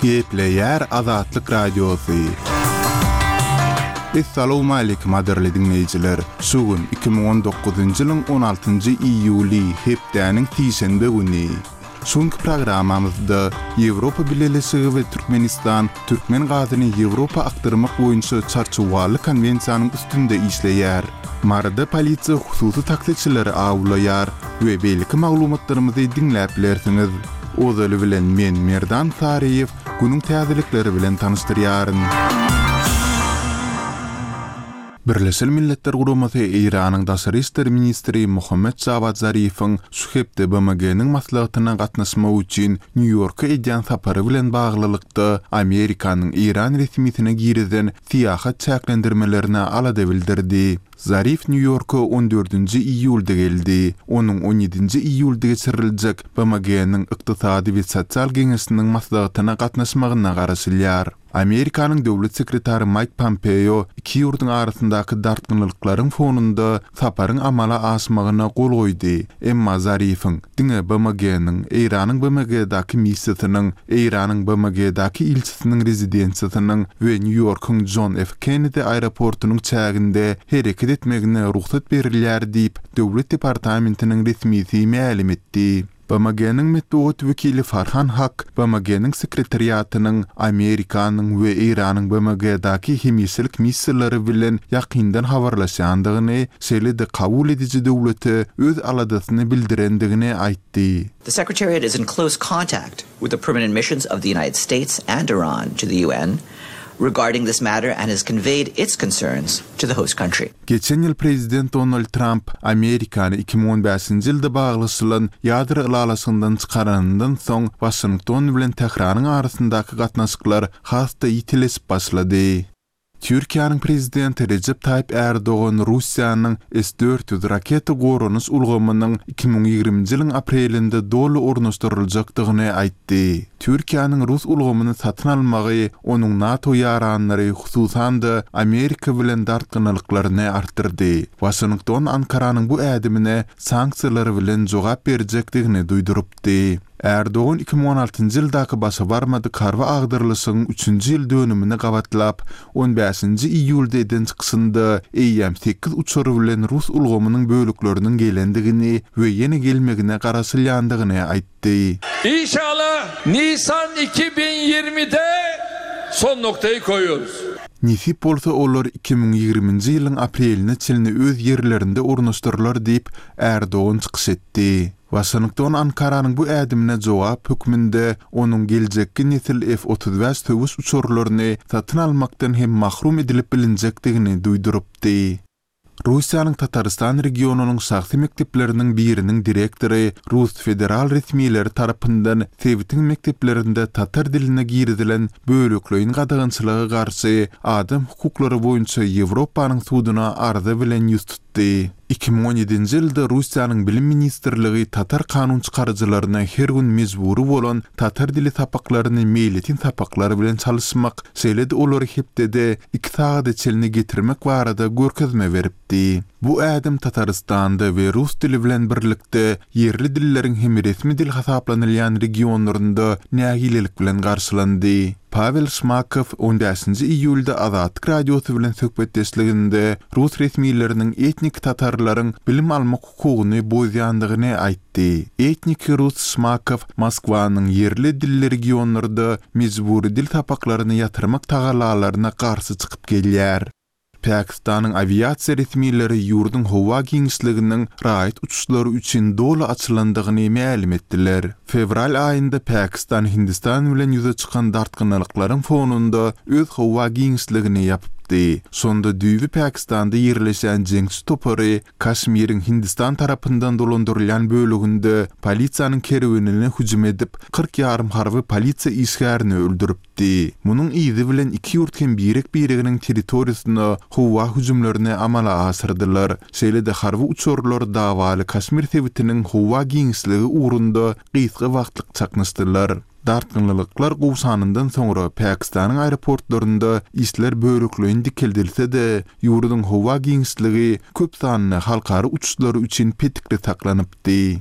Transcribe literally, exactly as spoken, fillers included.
Gepleýär Azatlyk Radiosy. Essalawmaleýkim gadyrly diňleýjiler! Şu gün iki müň on dokuzynjy ýylyň on altynjy iýuly, hepdäniň sişenbe güni. Şu günki programmamyzda Ýewropa Bileleşigi we Türkmenistan türkmen gazyny Ýewropa akdyrmak boýunça çarçuwaly konwensiýanyň üstünde işleýär. Maryda polisiýa hususy taksiçileri awlaýar we beýleki maglumatlarymyzy diňläp bilersiňiz. Ozaly bilen men Merdan Saryýew günüň täzelikleri bilen tanyşdyrýaryn. Birleşen Milletler Guramasy Eýranyň daşary işler ministri Mohammed Jawad Zarifiň şu hepde B M G-niň maslahatyna gatnaşmak üçin Nýu-Ýorka edýän sapary bilen baglylykda Amerikanyň Eýran resmisine girizen syýahat çäklendirmelerine alada bildirdi. Zarif Nýu-Ýorka on dördünji iýulda geldi. Onuň on ýedinji iýulda geçiriljek B M G-niň Ykdysady we sosial geňeşiniň maslahatyna gatnaşmagyna garaşylýar. Amerikanyň döwlet sekretary Maýk Pompeo iki ýurduň arasyndaky dartgynlyklaryň fonunda saparyň amala aşmagyna gol goýdy. Emma Zarifiň diňe B M G-niň, Eýranyň B M G-däki missiýasynyň, Eýranyň B M G-däki ilçisiniň rezidensiýasynyň we Nýu-Ýorkuň John F. Kennedy aeroportunyň çäginde hereket etmegine rugsat berilýär diýip, Döwlet departamentiniň resmisi mälim etdi. B M G-niň metbugat wekili Farhan Hak B M G-niň sekretariatynyň Amerikanyň we Eýranyň B M G-däki hemişelik missiýalary bilen ýakyndan habarlaşýandygyny, şeýle-de kabul ediji döwlete öz aladasyny bildirendigini aýtdy. The Secretariat is in close contact with the permanent missions of the United States and Iran to the U N regarding this matter and has conveyed its concerns to the host country. Geçen ýyl Prezident Donald Trump Amerikany iki müň on bäşinji ýylda baglaşylan ýadro ylalaşygyndan çykaranyndan soň Waşington bilen Tähranyň arasyndaky gatnaşyklar has-da ýitileşip başlady. Türkiýäniň prezidenti Rejep Taýyp Erdogan Russiýanyň S dört ýüz raketa goranyş ulgamynyň iki müň ýigriminji ýylyň aprelinde doly ornaşdyryljakdygyny aýtdy. Türkiýäniň rus ulgamyny satyn almagy onuň NATO ýaranlary, hususan-da Amerika bilen dartgynlyklaryny artdyrdy. Waşington Ankaranyň bu ädimine sanksiýalar bilen jogap berjekdigini duýdurypdy. Erdogan iki müň on altynjy ýyldaky başa barmadyk harby agdarlyşygyň üçünji ýyl dönümini gabatlap, on bäşinji iýulda eden çykyşynda eýýäm sekiz uçary bilen rus ulgamynyň bölekleriniň gelendigini we ýene gelmegine garaşylýandygyny aýtdy. Inşallah Nisan iki bin ýigrimide son noktayı koyuyoruz. Nesip bolsa olar iki müň ýigriminji ýylyň apreline çenli öz ýerlerinde ornaşdyrylar diýip Erdogan çykyş etdi. Waşington Ankaranyň bu ädimine jogap hökmünde onuň geljekki nesil F otuz bäş söweş uçarlaryny satyn almakdan hem mahrum edilip bilinjekdigini duýdurypdy. Russiýanyň Tatarstan regionynyň şahsy mekdepleriniň biriniň direktory Rus federal resmileri tarapyndan sebitiň mekdeplerinde tatar diline girizilen bölekleýin gadagançylyga garşy adam hukuklary boýunça Ýewropanyň suduna arza bilen ýüz tutdy. Iki müň on ýedinji ýylda Russiýanyň Bilim ministrligi tatar kanun çykaryjylaryna her gün mejbury bolan tatar dili sapaklaryny meýletin sapaklar bilen çalyşmak, şeýle-de olary hepdede iki sagada çenli getirmek barada görkezme beripdi. Bu ädim Tatarystanda we rus dili bilen birlikde ýerli dilleriň hem resmi dil hasaplanylýan regionlarynda nägilelik bilen garşylandy. Pavel Şmakow on bäşinji iýulda Azatlyk radiosy bilen söhbetdeşliginde rus resmileriniň etnik tatarlaryň bilim almak hukugyny bozýandygyny aýtdy. Etnik rus Şmakow Moskwanyň ýerli dilli regionlarda mejbury dil sapaklaryny ýatyrmak tagalalaryna garşy çykyp gelýär. Pakistanyň awiasiýa resmileri ýurduň howa giňişliginiň raýat uçuşlary üçin doly açylandygyny mälim etdiler. Fevral aýynda Pakistan Hindistan bilen ýüze çykan dartgynlyklaryň fonunda öz howa giňişligini ýapypdy. Şonda düýbi Pakistanda ýerleşen jeňçi topary Kaşmiriň Hindistan tarapyndan dolandyrylýan bölüginde polisiýanyň kerwenine hüjüm edip, kyrk ýarym harby polisiýa işgärini öldüripdi. Munuň yzy bilen iki ýurt hem birek-bireginiň territoriýasyna howa hüjümlerini amala aşyrdylar. Şeýle-de harby uçarlar dawaly Kaşmir sebitiniň howa giňişligi ugrunda gysga wagtlyk çaknyşdylar. Dartgynlylyklar gowşanyndan soňra Pakistanyň aeroportlarynda işler bölekleýin dikeldilse-de, ýurduň howa giňişligi köp sanly halkara uçuşlary üçin petikli saklanypdy.